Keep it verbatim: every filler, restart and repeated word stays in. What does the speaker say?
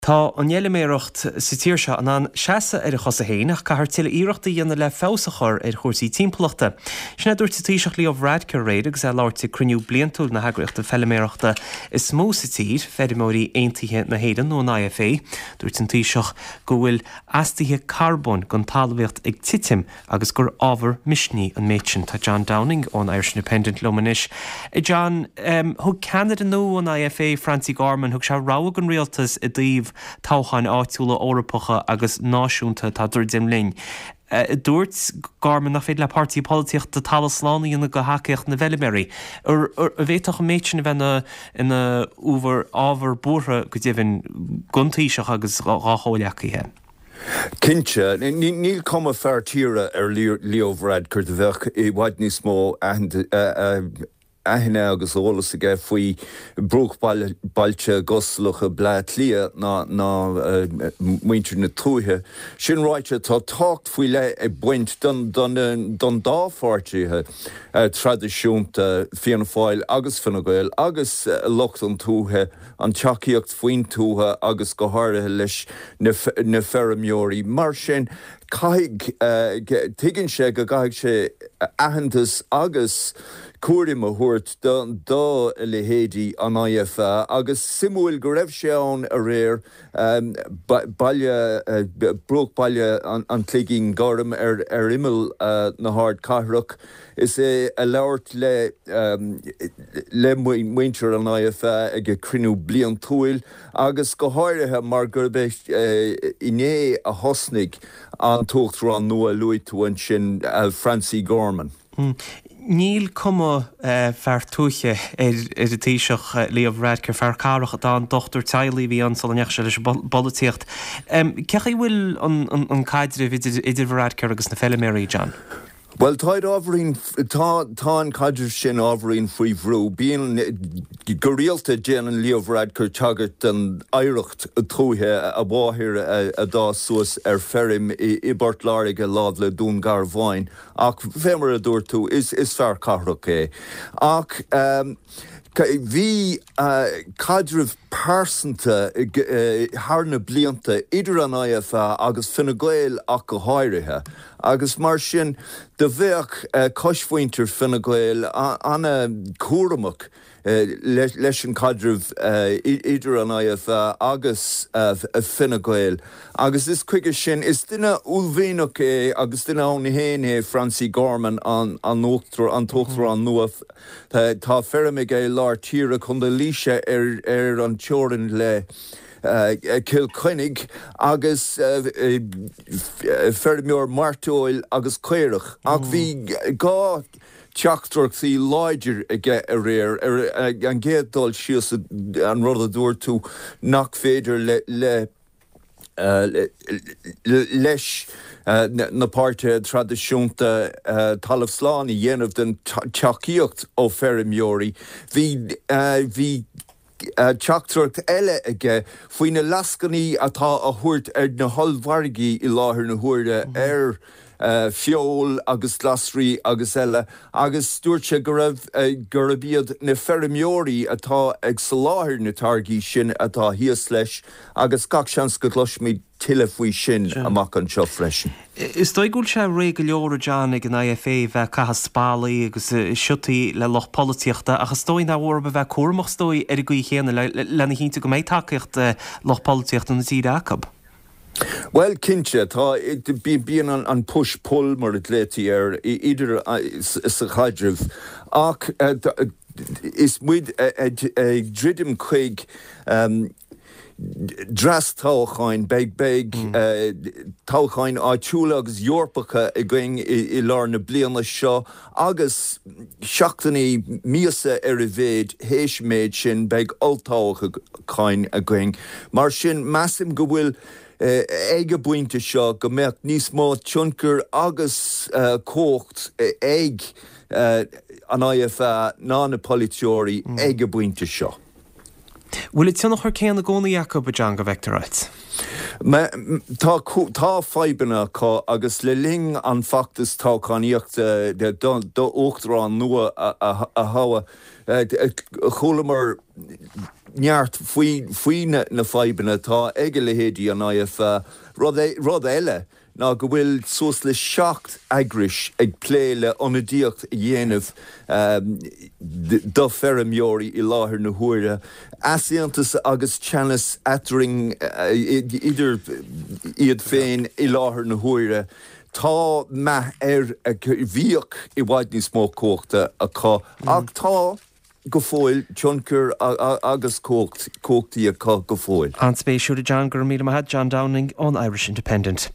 Tá an fheilméaracht sa tír seo in ann seasamh ar a chosa féin ach caithfear tuilleadh iarrachta a dhéanamh le feabhas a chur ar chúrsaí timpeallachta. Sin a dúirt an Taoiseach Leo Varadkar aréir agus é ag labhairt ag cruinniú bliantúil na heagraíochta feilméarachta is mó sa tír, Feirmeoirí Aontaithe na hÉireann nó an IFA. Dúirt an Taoiseach go bhfuil astuithe carbóin den talmhaíocht ag titim agus gur ábhar misnigh an méid sin. Tá John Downing ón Irish Independent liom anois. John, um, thug ceannaire nua an IFA Francie Gorman thug sé rabhadh don rialtas i dtaobh toghcháin áitiúla Eorpacha agus náisiúnta atá ag druidim linn. Uh, dúirt Gorman nach féidir le páirtí polaitíochta talamh slán a dhéanamh de thacaíocht na bhfeilméaraí. An bhféadfadh an méid sin a bheith ina ábhar ábhar buartha go deimhin don Taoiseach agus dá chomhghleacaithe. Cinnte, níl cuma fear tíre ar Leo Varadkar do bheadh i bhfad níos mó aithne agus eolas aige faoi bruachbhailte gostalacha Bhleá Cliath ná ná muintir na tuaithe. Sin ráite tá tábhacht faoi leith ag baint don don don dá pháirtithe traidisiúnta Fianna Fáil agus Fine Gael agus lucht an tuaithe an tacaíocht faoin tuath agus go háirithe leis na, na feirmeoirí. Mar sin caithfidh tuigeann sé go gcaithfidh sé aitheantas agus cúram a thabhairt do do leithéidí an IFA agus suimiúil go raibh sé ann aréir baile bruachbhaile an Chloigín Ghoirm ar ar imeall na hardchathrach is é ag labhairt le le muintir an IFA ag a cruinniú bliantúil agus go háirithe mar gurb é inné a thosnaigh an t-uachtarán nua luaigh tú ansin Francie Gorman. Hmm. Níl cuma uh, fear tuaithe ar ar an Taoiseach Leo Varadkar fear cathrach atá ann dochtúir teaghlaigh a bhí ann sula ndeachaigh sé leis an bpolaitíocht. Um, Cén chaoi bhfuil an, an, an caidreamh idir, idir Varadkar agus na feilméaraí John? Well tá ábhairín tá tá an caidreamh sin ábhairín faoi bhrú, bíonn go rialta déanann Leo Varadkar tagairt den oidhreacht tuaithe a mháthair a d'fhás suas ar feirm i bPort Láirge láimh le Dún Garbháin ach fé mar a dúirt tú is is fear cathrach é. Ach um, bhí uh, caidreamh pearsanta uh, thar na blianta idir an IFA agus Fine Gael ach go háirithe. agus mar sin do bheadh uh, cosmhuintir Fine Gael an-chúramach uh, leis, leis an caidreamh uh, idir an IFA agus uh, Fine Gael. Agus is chuige sin is duine uaillmhianach é agus duine ann féin é Francie Gorman an an an t-uachtarán nua tá feirm aige lár tíre Chontae Laoise ar ar an teorainn le. Uh, Cill Chainnigh agus uh, uh, feirmeoir mairteoil agus caorach ach bhí dhá teachtaireachtaí láidir aige aréir ar an gcéad dul síos an rud a dúirt tú nach féidir le le Uh, leis uh, na páirtithe traidisiúnta uh, talamh slán a dhéanamh den tacaíocht ó feirmeoirí. Bhí bhí teachtaireacht eile aige faoi na lascainí atá á thabhairt ar na hollmhargaí i láthair na huaire mm -hmm. ar uh, feoil agus glasraí agus eile, agus dúirt sé go raibh uh, gurb iad na feirmeoirí atá ag soláthar na táirgí sin atá thíos leis, agus gach seans go gcloisfimid tuilleadh faoi sin amach anseo freisin. Is dóigh go bhfuil sé réidh go leor John ag an IFA bheith ag caitheamh spallaí agus siotaí le lucht polaitíochta ach is dóigh nach mór a bheith cúramach is dóigh ar an gcaoi chéanna lena chinntiú go mbeidh tacaíocht lucht polaitíochta na tíre acu. Well cinnte tá bíonn an, an push pull mar a glaoití air idir sa chaidreamh ach is muid ag druidim chuig um, dreas toghcháin beidh beidh mm. uh, toghcháin áitiúla agus Eorpacha againn i, i lár na bliana seo agus seachtainí míosa ar a mhéad théis méid sin beidh olltoghcháin againn. Mar sin measaim go bhfuil uh, ag an bpointe seo go mbeadh níos mó tionchar agus uh, cumhacht ag uh, an IFA ná na polaiteoirí mm. ag an bpointe seo. Bhfuil an tionchar céanna i gcónaí acu a John go bhfeictear duit? Tá tá fadhbanna acu agus le linn an feachtas toghchánaíochta d'uachtarán nua a thoghadh chualamar neart faoi faoi na fadhbanna atá ag a leithéidí an IFA rud rud eile ná go bhfuil suas le seacht eagrais ag plé le ionadaíocht a dhéanamh do feirmeoirí i láthair na huaire. Easaontas agus teannas eatarthu idir iad féin i láthair na huaire. Tá meath ar bhíodh i bhfad níos mó cumhachta acu ach tá go fóill tionchar agus cumhachtaí acu go fóill. An-spéisiúil John gur míle maith John Downing ón Irish Independent.